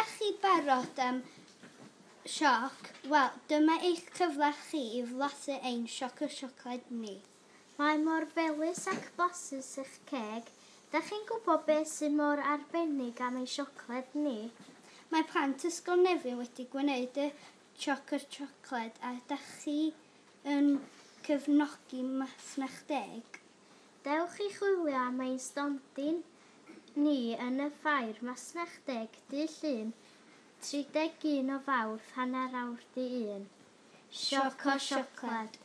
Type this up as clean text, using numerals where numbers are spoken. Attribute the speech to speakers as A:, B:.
A: Ydach chi barod am sioc? Wel, dyma eich cyfle chi i flasu ein sioc o siocled ni.
B: Mae mor felys ac blasus i'ch ceg. Dach chi'n gwybod beth sy'n mor arbennig am ein siocled ni?
A: Mae plant Ysgol Nefyn wedi gwneud y sioc o siocled a ydach chi yn cefnogi Masnach Deg?
B: Dewch i chwilio am ein stondin ni yn y ffair Masnach Deg dydd Llun 31 o Fawrth 1:30. Sioc o siocled.